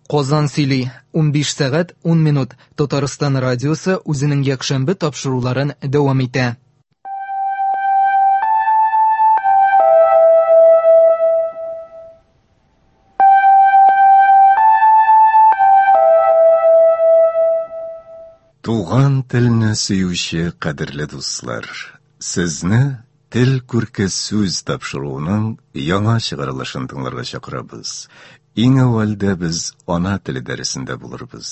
Казан сөйли, 15 сәгать 10 минут. Татарстан радиосы үзенең якшәмбе тапшыруларын дәвам итә. Туган телне сөюче кадерле дуслар, сезне Тел күрке сүз тапшыруының яңа чыгарылышын тыңларга чакырабыз. Иң әүвәлдә без ана теле дәресендә булырбыз.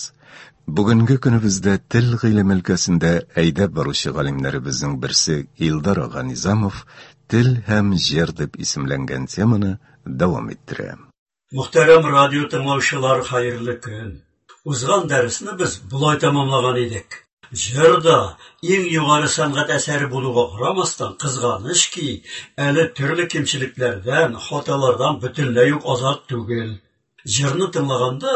Бүгенге көнебездә тел гыйлеме өлкәсендә әйдәп баручы галимнәребезнең берсе Илдар ага Низамов Тел һәм җыр дип исемләнгән теманы дәвам иттерә. Мөхтәрәм радио тыңлаучылар, хәерле көн! Узган дәресне без болай тәмамлаган идек. Җыр да, иң югары сәнгать әсәре булуга карамастан, кызганыч ки, әле төрле кимчелекләрдән, хаталардан бөтенләй үк азат түгел. Җырны тыңлаганда,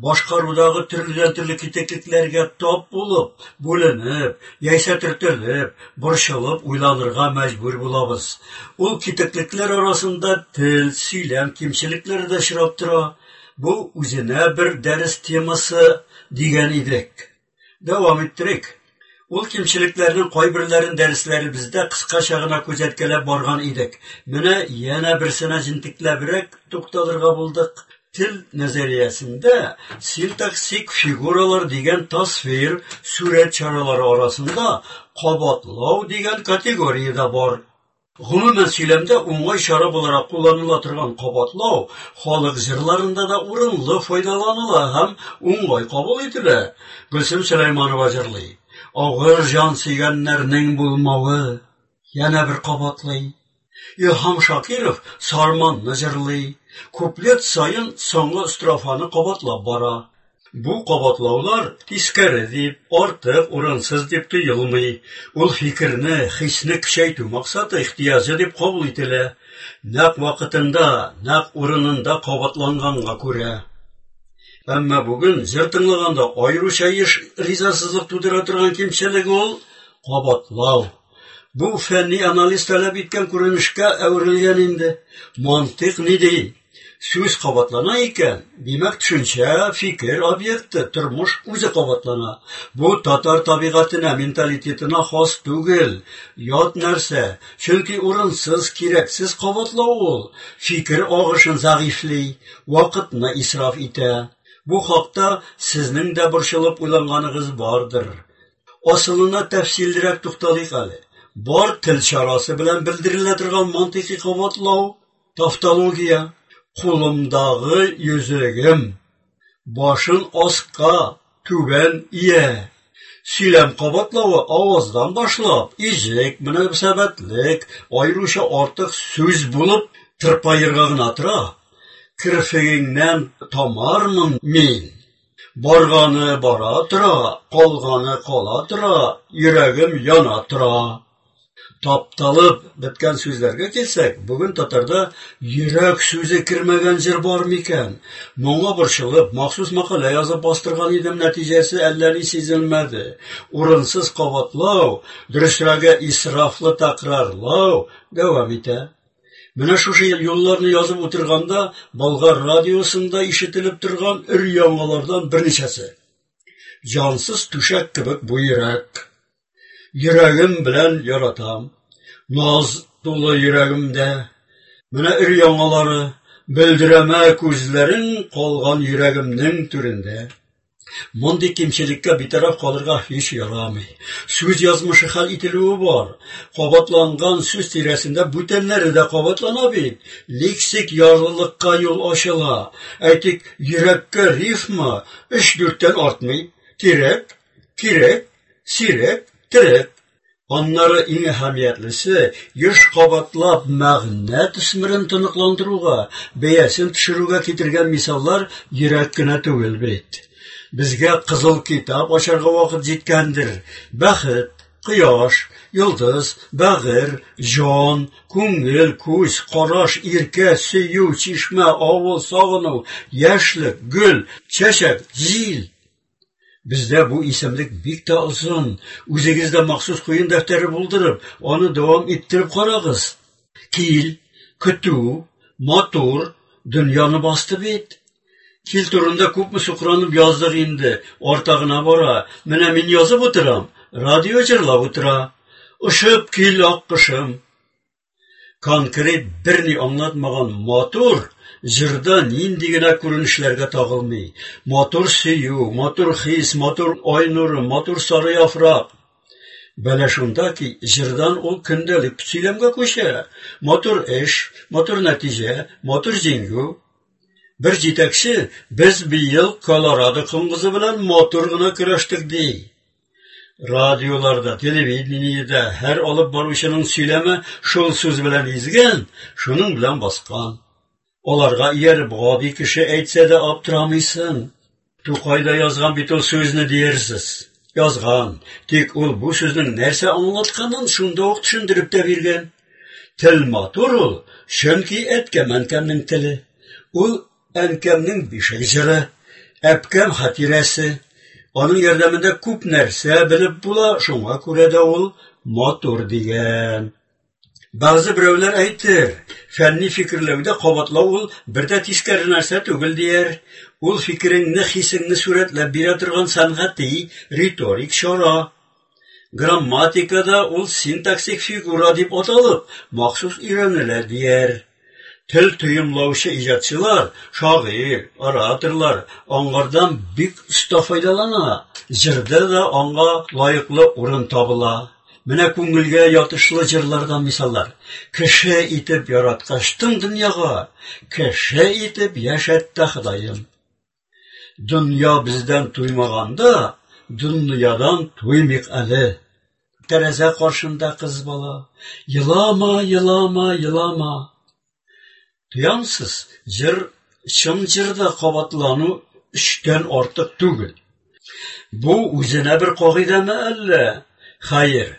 башкарудагы төрледән-төрле китеклекләргә тап булып, бүленеп, яисә төртелеп, борчылып уйланырга мәҗбүр булабыз. Ул китеклекләр арасында тел, сөйләм кимчелекләре дә очрап тора. Бу үзенә бер дәрес темасы дигән идек. Дәвам иттерик. Ул кимчелекләрнең кайберләрен дәресләребездә кыскача гына күзәткәләп барган идек. Менә янә берсенә җентекләбрәк тукталырга булдык. Тел нәзариясендә синтаксик фигуралар дигән тасвир, сурәт чаралары арасында кабатлау дигән категория дә бар. Гомумән, сөйләмдә уңай чара буларак кулланыла торган кабатлау халык җырларында да урынлы файдаланыла һәм уңай кабул ителә. Гөлсем Сөләйманова җырлый. Авыр җан сөйгәннәрнең булмавы. Янә бер кабатлый. Илһам Шакиров Сарманны җырлый. Куплет саен соңгы строфаны кабатлап бара. Бу кабатлаулар тискәре дип, артык, урынсыз дип тоелмый. Ул фикерне, хисне көчәйтү максаты, ихтыяҗы дип кабул ителә. Нәкъ вакытында, нәкъ урынында кабатланганга күрә. Әмма бүген җыр тыңлаганда аеруча еш ризасызлык тудыра торган кимчелек ул кабатлау. Бу фәнни анализ таләп иткән күренешкә әверелгән инде. Мантыйк ни ди? Сүз кабатлана икән, димәк, төшенчә, фикер объекты, тормыш үзе кабатлана. Бу татар табигатенә, менталитетына хас түгел, ят нәрсә. Чөнки урынсыз, кирәксез кабатлау ул фикер агышын зәгыйфьли, вакытны исраф итә. Бу хакта сезнең дә борчылып уйланганыгыз бардыр. Асылына тәфсиллерәк тукталыйк әле. Бар тел чарасы белән белдерелә торган мантыйкый кабатлау Тавтология, кулымдагы йөзегем, башын аска, түбән ия. Сөйләм кабатлавы аваздан башлап, иҗек, мөнәсәбәтлек, аеруча артык сүз булып тырпаерга гына тора. Керфегеңнән тамармын мин. Барганы бара тора, калганы кала тора, йөрәгем яна тора. Тапталып беткән сүзләргә килсәк, бүген татарда йөрәк сүзе кермәгән җыр бар микән? Моңа борчылып, махсус мәкалә язып бастырган идем, нәтиҗәсе әллә ни сизелмәде. Урынсыз кабатлау, дөресрәге исрафлы тәкрарлау дәвам итә. Менә шушы юлларны язып утырганда, Болгар радиосында ишетелеп торган өр-яңалардан берничәсе. Җансыз түшәк кебек бу йөрәк. Йөрәгем белән яратам. Наз тулы йөрәгемдә. Менә өр-яңалары, бөлдерәмә күзләрең калган йөрәгемнең түрендә. Мондый кимчелеккә битараф калырга һич ярамый. Сүз язмышы хәл ителүе бар. Кабатланган сүз тирәсендә бүтәннәре дә кабатлана бит. Лексик ярлылыкка юл ачыла. Әйтик, йөрәккә рифма өч-дүрттән артмый. Тирәк, кирәк, сирәк, терәк. Аннары иң әһәмиятлесе, еш кабатлап мәгънә төсмерен тоныкландыруга, бәясен төшерүгә китергән мисаллар йөрәк кенә түгел бит. Безгә кызыл китап ачарга вакыт җиткәндер. Бәхет, кояш, йолдыз, бәгырь, җан, күңел, күз, караш, иркә, сөю, чишмә, авыл, сагыну, яшьлек, гөл, чәчәк, җил. Бездә бу исемлек бик тә озын. Үзегез дә махсус куен дәфтәре булдырып, аны дәвам иттереп карагыз. Кил, көтү, матур, дөньяны басты бит. Кил турында күпме сукранып яздык инде, арта гына бара. Менә мин язып утырам, радио җырлап утыра. Очып кил, аккошым. Конкрет берни аңлатмаган матур җырда нинди генә күренешләргә тагылмый. Матур сөю, матур хис, матур ай нуры, матур сары яфрак. Бәла шунда ки, җырдан ул көндәлек сөйләмгә күчә. Матур эш, матур нәтиҗә, матур җиңү. Бер җитәкче, без быел Колорадо коңгызы белән матур гына көрәштек, ди. Радиоларда, телевидениедә һәр алып баручының сөйләме шул сүз белән изгән, шуның белән баскан. Аларга ияреп гади кеше әйтсә дә аптырамыйсың. Тукай да язган бит ул сүзне диярсез. Язган, тик ул бу сүзнең нәрсә аңлатканын шунда ук төшендереп тә биргән. Тел матур ул, чөнки әткәм-әнкәмнең теле. Ул әнкәмнең бишек җыры, әбкәм хатирәсе. Аның ярдәмендә күп нәрсә белеп була, шуңа күрә дә ул матур дигән. Бәгъзе берәүләр әйтер, фәнни фикерләүдә кабатлау ул бер дә тискәре нәрсә түгел дияр. Ул фикереңне, хисеңне сурәтләп бирә торган сәнгати, риторик чара. Грамматикада ул синтаксик фигура дип аталып, махсус өйрәнелә дияр. Тел тоемлаучы иҗатчылар, шагыйрь, ораторлар аңардан бик оста файдалана. Җырда да аңа лаеклы урын табыла. Менә күңелгә ятышлы җырлардан мисаллар. Кеше итеп яраткачтың дөньяга, кеше итеп яшәт тә Ходаем. Дөнья бездән туймаганда, дөньядан туймыйк әле. Тәрәзә каршында кыз бала, елама, елама, елама. Тоямсыз, җыр чын җырда кабатлану өчтән артык түгел. Бу үзенә бер кагыйдәме әллә? Хәер,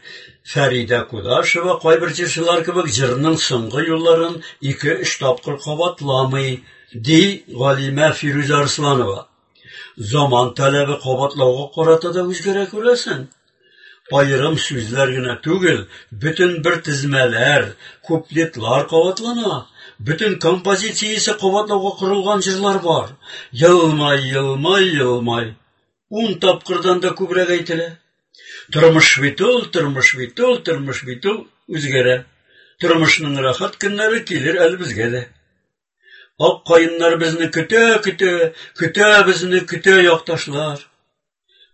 Фәридә Кудашева кайбер җырчылар кебек җырның соңгы юлларын ике-өч тапкыр кабатламый, ди галимә Фирүзә Арсланова. Заман таләбе кабатлауга карата да үзгәрә күрәсең. Аерым сүзләр генә түгел, бөтен бер тезмәләр, куплетлар кабатлана. Бөтен композициясе кабатлауга корылган җырлар бар. Елмай, елмай, елмай. Ун тапкырдан да күбрәк әйтелә. Тормыш бит ул, тормыш бит ул, тормыш бит ул үзгәрә. Тормышның рәхәт көннәре килер әле безгә дә. Ак каеннар безне көтә, көтә, көтә безне, көтә якташлар.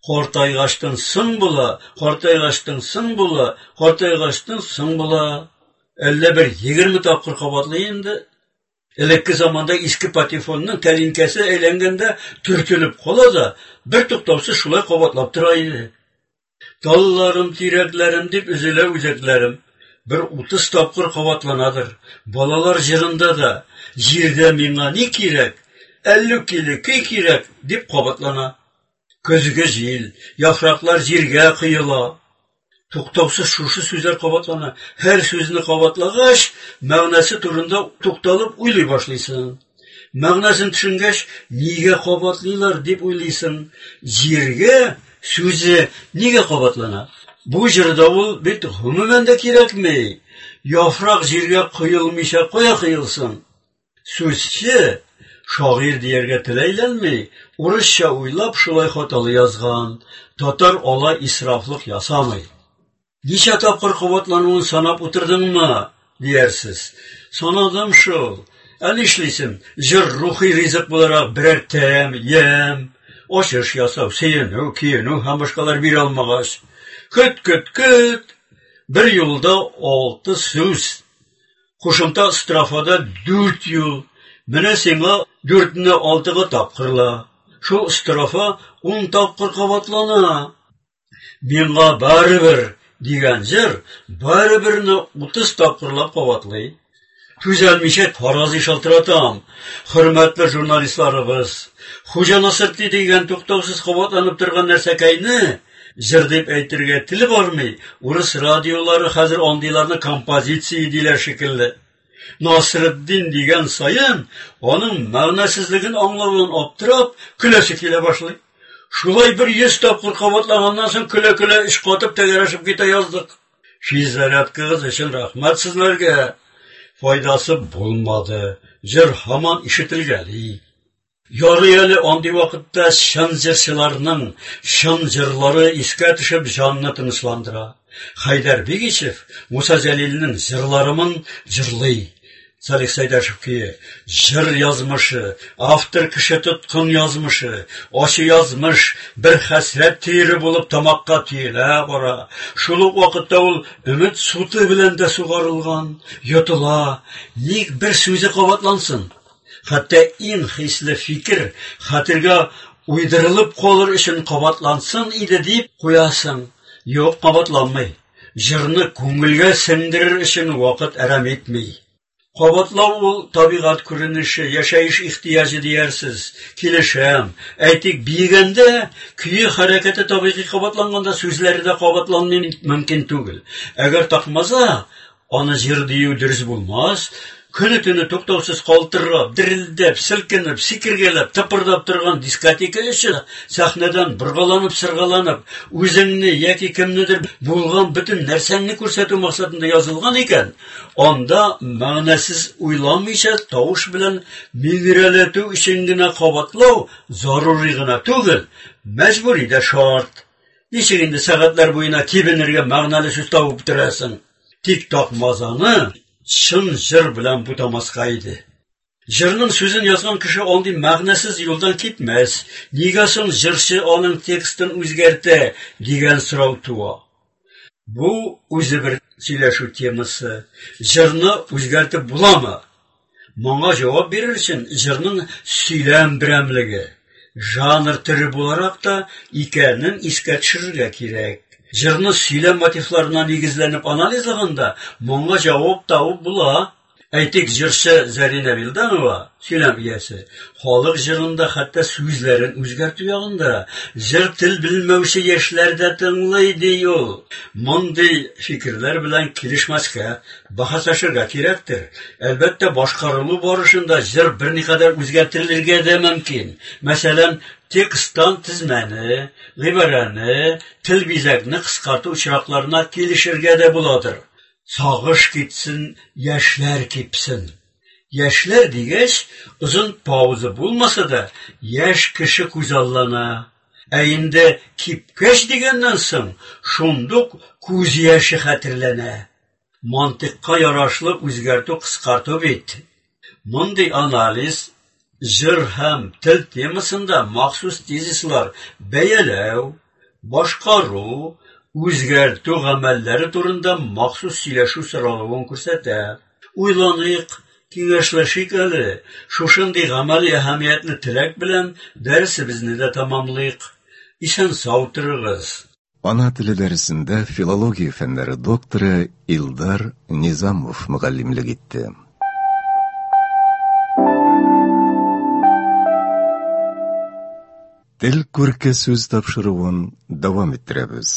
Картайгачтын соң була, картайгачтын соң була, картайгачтын соң була. Әллә бер 20 тапкыр кабатлый инде. Элекке заманда иске патефонның тәлинкәсе әйләнгәндә төртелеп кала да, бер туктаусыз шулай кабатлап тора иде. Талларым, тирәкләрем дип өзелә үзәкләрем. Бер 30 тапкыр кабатланадыр. Балалар җырында да җирдә миңа ни кирәк? Әллү киле көй кирәк дип кабатлана. Көзге җил, яфраклар җиргә коела. Туктаусыз шушы сүзләр кабатлана. Һәр сүзне кабатлагач, мәгънәсе турында тукталып уйлый башлыйсың. Мәгънәсен төшенгәч, нигә кабатлыйлар дип уйлыйсың. Җиргә сүзе нигә кабатлана? Бу җырда ул бит гомумән дә кирәкми. Яфрак җиргә коелмыйча кая коелсын? Сүзче шагыйрь дияргә тел әйләнми, урысча уйлап шулай хаталы язган. Татар алай исрафлык ясамый. Ничә тапкыр кабатлануын санап утырдыңмы, диярсез. Санадым шул. Ә нишлисең? Җыр рухи ризык буларак берәр тәм, ямь, ачыш ясау, сөенү, көенү һәм башкалар бирә алмагач. Көт, көт, көт. Бер юлда алты сүз. Кушымта строфада дүрт юл. Менә сиңа дүртне алтыга тапкырла. Шул строфа 10 тапкыр кабатлана. Миңа барыбер дигән җыр барыберне 30 тапкырлап кабатлый. Түзәлмичә фаразый шалтыратам. Хөрмәтле журналистларыбыз, Хуҗа Насретдин дигән туктаусыз кабатланып торган нәрсәкәйне җыр дип әйтергә тел бармый. Урыс радиолары хәзер андыйларны композиция диләр шикелле. Насретдин дигән саен аның мәгънәсезлеген аңлавын аптырап, көләсе килә башлый. Шулай бер 100 тапкыр кабатлаганнан соң көлә-көлә эш катып тәгәрәшеп китә яздык. Физзарядкагыз өчен рәхмәт сезләргә. Файдасы булмады. Җыр һаман ишетелгәли. Ярый әле андый вакытта чын җырчыларның чын җырлары искә төшеп җанны тынычландыра. Хәйдәр Бигичев Муса Җәлилнең җырларымын җырлый. Салих Сәйдәшев көе, җыр язмышы, автор кеше тоткын язмышы, ачы язмыш бер хәсрәт төере булып тамакка төелә бара. Шул ук вакытта ул өмет суты белән дә сугарылган, йотыла. Ник бер сүзе кабатлансын? Хәтта иң хисле фикер хәтергә уйдырылып калыр өчен кабатлансын иде дип куясың. Юк, кабатланмый. Җырны күңелгә сеңдерер өчен вакыт әрәм итми. Кабатлау ул табигать күренеше, яшәеш ихтыяҗы диярсез. Килешәм. Әйтик, биегәндә көе хәрәкәте табигый кабатланганда сүзләре дә кабатланмый мөмкин түгел. Әгәр такмаза, аны җыр дию дөрес булмас. Көне-төне туктаусыз калтырап, дерелдәп, селкенеп, сикергәләп, тыпырдап торган дискотека өчен сәхнәдән боргаланып-сыргаланып, үзеңне яки кемнедер булган бөтен нәрсәңне күрсәтү максатында язылган икән, анда мәгънәсез уйламыйча тавыш белән миңгерәләтү өчен генә кабатлау зарури гына түгел, мәҗбүри дә шарт. Ничек инде сәгатьләр буена тибенергә мәгънәле сүз табып бетерәсең? Тик такмазаны чын җыр белән бутамаска иде. Җырның сүзен язган кеше андый мәгънәсез юлдан китмәс. Нигә соң җырчы аның текстын үзгәртә дигән сорау туа. Бу үзе бер сөйләшү темасы. Җырны үзгәртеп буламы? Моңа җавап бирер өчен җырның сөйләм берәмлеге, жанр төре буларак та икәнен искә төшерергә кирәк. Җырны сөйләм мотивларына нигезләнеп анализлаганда, моңа җавап табып була. Әйтик, җырчы Зәринә Вилданова, сөйләм иясе, халык җырында хәтта сүзләрен үзгәртү ягында җыр тел белмәүче яшьләр дә тыңлый, ди ул. Мондый фикерләр белән килешмәскә, бәхәсләшергә кирәктер. Әлбәттә, башкарылу барышында җыр берникадәр үзгәртелергә дә мөмкин. Мәсәлән, тексттан тезмәне, гыйбарәне, тел бизәкне кыскарту очракларына килешергә дә буладыр. Сагыш китсен, яшьләр кипсен. Яшьләр дигәч, озын пауза булмаса да, яшь кеше күзаллана. Ә инде кипкәч дигәннән соң, шундук күз яше хәтерләнә. Мантыйкка ярашлы үзгәртү кыскарту бит. Мондый анализ җыр һәм тел темасында махсус тезислар бәяләү, башкару, үзгәртү гамәлләре турында махсус сөйләшү соралуын күрсәтә. Уйланыйк, киңәшләшик әле. Шушындый гамәли әһәмиятле теләк белән дәресебезне дә тәмамлыйк. Исән-сау торыгыз. Ана теле дәресендә филология фәннәре докторы Илдар Низамов мөгаллимлек итте. Тел күрке сүз тапшыруын дәвам иттерәбез.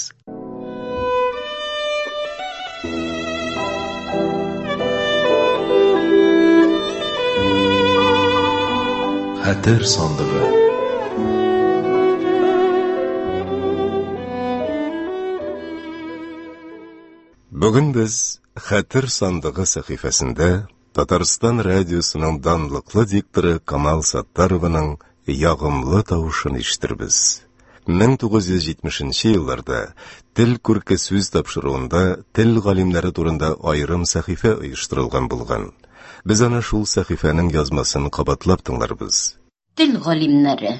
Хәтер сандыгы. Бүген без Хәтер сандыгы сәхифәсендә Татарстан радиосының данлыклы дикторы Камал Саттарованың ягымлы тавышын ишетербез. 1970 нче елларда Тел күрке сүз тапшыруында тел галимнәре турында аерым сәхифә оештырылган булган. Без аны шул сәхифәнең язмасын кабатлап тыңларбыз. Тел галимнәре.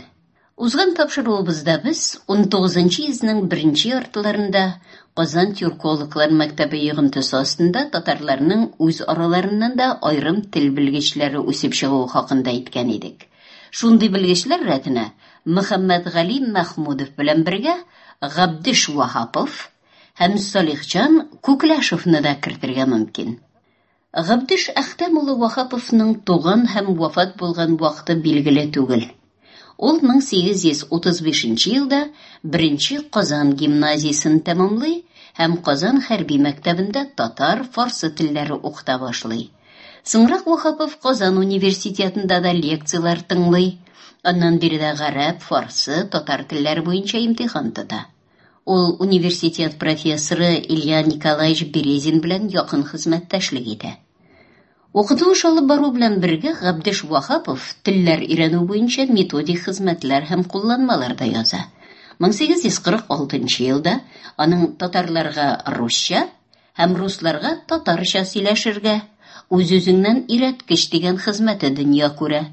Узган тапшыруыбызда без унтугызынчы йөзнең беренче яртыларында Казан тюркологлар мәктәбе йогынтысы астында татарларның үз араларыннан да аерым тел белгечләре үсеп чыгуы хакында әйткән идек. Шундый белгечләр рәтенә Мөхәммәтгали Мәхмүдов белән бергә Габдеш Ваһапов һәм Салихҗан Күкләшевны да кертергә мөмкин. Габдеш Әхтәм улы Ваһаповның туган һәм вафат булган вакыты билгеле түгел. Ул 1835 нче елда беренче Казан гимназиясен тәмамлый һәм Казан хәрби мәктәбендә татар, фарсы телләре укыта башлый. Соңрак Ваһапов Казан университетында да лекцияләр тыңлый, аннан биредә гарәп, фарсы, татар телләре буенча имтихан тота. Ул университет профессоры Илья Николаевич Березин белән якын хезмәттәшлек итә. Укыту эше алып бару белән бергә Габдеш Ваһапов телләр өйрәнү буенча методик хезмәтләр һәм кулланмалар да яза. 1846 елда аның Татарларга русча һәм русларга татарча сөйләшергә, үз-үзеңнән өйрәткеч дигән хезмәте дөнья күрә.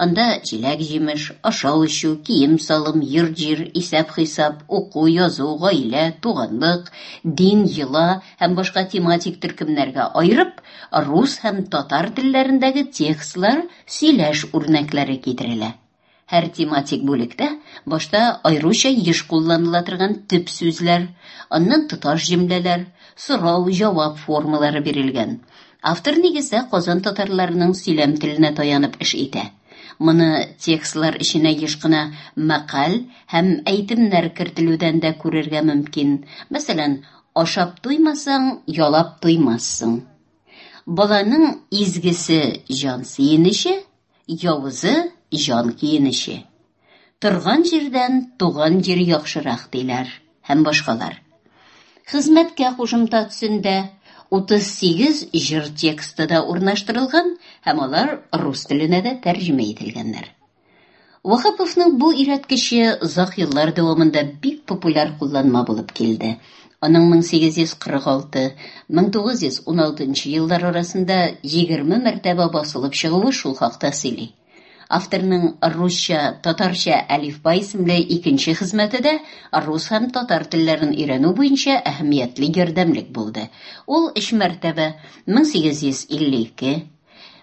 Анда җиләк-җимеш, ашау-эчү, кием-салым, йорт-җир, исәп-хисап, уку, язу, гаилә, туганлык, дин, йола һәм башка тематик төркемнәргә аерып, рус һәм татар телләрендәге текстлар, сөйләш үрнәкләре китерелә. Һәр тематик бүлектә башта аеруча еш кулланыла торган төп сүзләр, аннан тоташ җөмләләр, сорау-җавап формалары бирелгән. Автор нигездә Казан татарларының сөйләм теленә таянып эш итә. Моны текстлар эченә еш кына мәкаль һәм әйтемнәр кертелүдән дә күрергә мөмкин. Мәсәлән, ашап туймасаң, ялап туймассың. Баланың изгесе җан сөенече, Явызы җан көенече. Торган җирдән туган җир яхшырак диләр һәм башкалар. Хезмәткә кушымта төсендә 38 җыр тексты да урнаштырылган һәм алар рус теленә дә тәрҗемә ителгәннәр. Ваһаповның бу өйрәткече озак еллар дәвамында бик популяр кулланма булып килде. Аның 1846-1916 еллар арасында 20 мәртәбә басылып чыгуы шул хакта сөйли. Авторның Русча-татарча әлифба исемле икенче хезмәте дә рус һәм татар телләрен өйрәнү буенча әһәмиятле ярдәмлек булды. Ул өч мәртәбә 1852,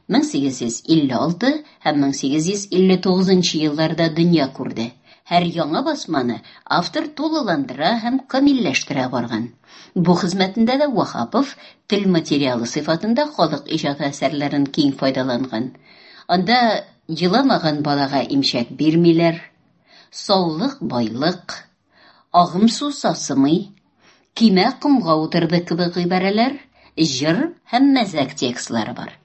1856 һәм 1859 елларда дөнья күрде. Һәр яңа басманы автор тулыландыра һәм камилләштерә барган. Бу хезмәтендә дә Ваһапов тел материалы сыйфатында халык иҗаты әсәрләрен киң файдаланган. Анда еламаган балага имчәк бирмиләр, саулык байлык, агым су сасымый, кимә комга утырды кебек гыйбарәләр, җыр һәм мәзәк текстлары бар.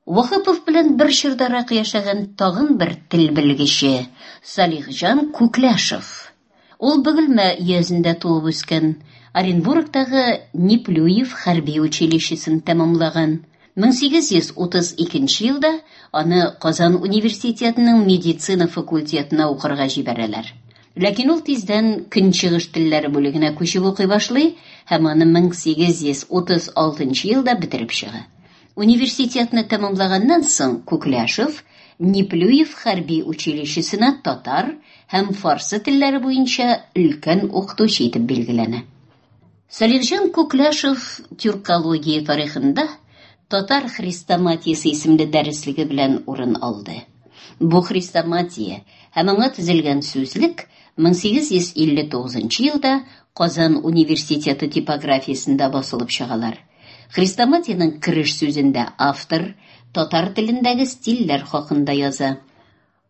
Ваһапов белән бер чордарак яшәгән тагын бер тел белгече Салихҗан Күкләшев. Ул Бөгелмә өязендә туып үскән, Оренбургтагы Неплюев хәрби училищесын тәмамлаган. 1832 елда аны Казан университетының медицина факультетына укырга җибәрәләр. Ләкин ул тиздән Көнчыгыш телләре бүлегенә күчеп укый башлый һәм аны 1836 елда бетереп чыга. Университетны тәмамлаганнан соң Күкләшев Неплюев хәрби училищесына татар һәм фарсы телләре буенча өлкән укытучы итеп билгеләнә. Салихҗан Күкләшев тюркология тарихында Татар хрестоматиясе исемле дәреслеге белән урын алды. Бу хрестоматия һәм аңа төзелгән сүзлек 1859 елда Казан университеты типографиясендә басылып чыгалар. Хрестоматиянең кереш сүзендә автор татар телендәге стильләр хакында яза.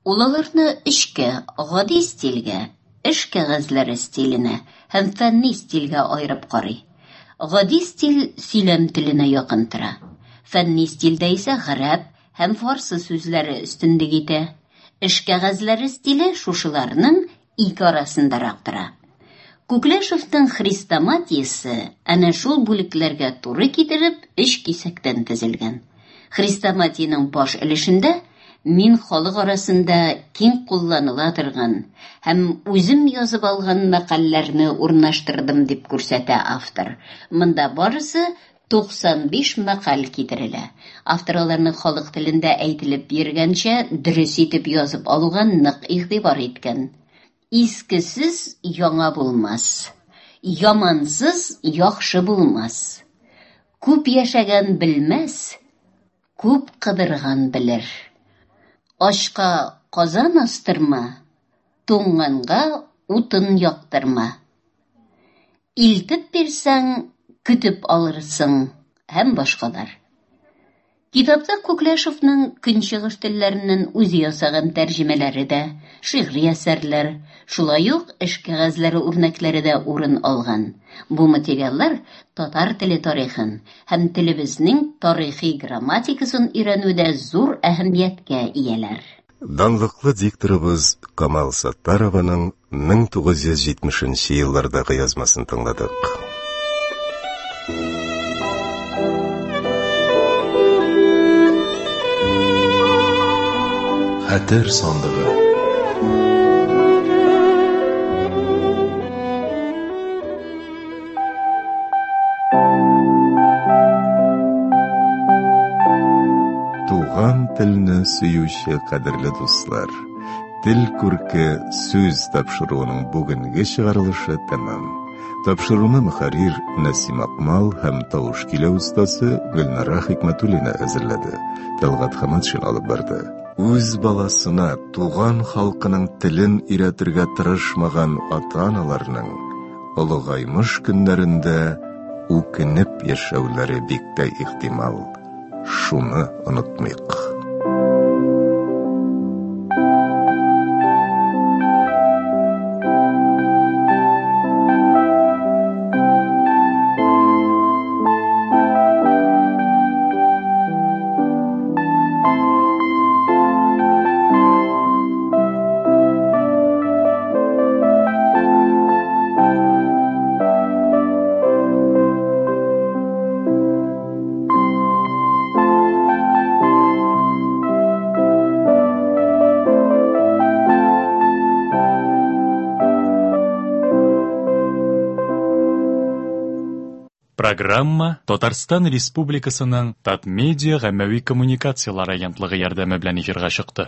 Ул аларны өчкә, гади стильгә, эш кәгазьләре стиленә һәм фәнни стильгә аерып карый. Гади стиль сөйләм теленә якын тора. Фәнни стильдә исә гарәп һәм фарсы сүзләре өстенлек итә. Эш кәгазьләре стиле шушыларның ике арасындарак тора. Күкләшевның хрестоматиясе әнә шул бүлекләргә туры китереп өч кисәктән төзелгән. Хрестоматиянең баш өлешендә мин халык арасында киң кулланыла торган һәм үзем язып алган мәкальләрне урнаштырдым дип күрсәтә автор. Монда барысы 95 мәкаль китерелә. Автор аларны халык телендә әйтелеп йөргәнчә дөрес итеп язып алуга нык игътибар иткән. Искесез яңа булмас, ямансыз яхшы булмас. Күп яшәгән белмәс, күп кыдырган белер. Ачка казан астырма, туңганга утын яктырма. Илтеп бирсәң, көтеп алырсың һәм башкалар. Китапта Күкләшевның көнчыгыш телләреннән үзе ясаган тәрҗемәләре дә, шигъри әсәрләр, шулай ук эш кәгазьләре үрнәкләре дә урын алган. Бу материаллар татар теле тарихын һәм телебезнең тарихи грамматикасын өйрәнүдә зур әһәмияткә ияләр. Данлыклы дикторыбыз Камал Саттарованың 1970 еллардагы язмасын тыңладык. Хәтер сандыгы. Туган телне сөюче кадерле дуслар, Тел күрке сүз тапшыруының бүгенге чыгарылышы тәмам. Тапшыруны мөхәррир Нәсим Акмал һәм тавыш көйләү остасы Гөлнара Хикмәтуллина әзерләде. Тәлгать Хаматшин алып барды. Үз баласына туган халкының телен өйрәтергә тырышмаган ата-аналарның олыгаймыш көннәрендә үкенеп яшәүләре бик тә ихтимал. Шуны онытмыйк. Программа Татарстан Республикасының Татмедиа гаммәви коммуникацияләр агентлыгы ярдәме белән эфирга чыкты.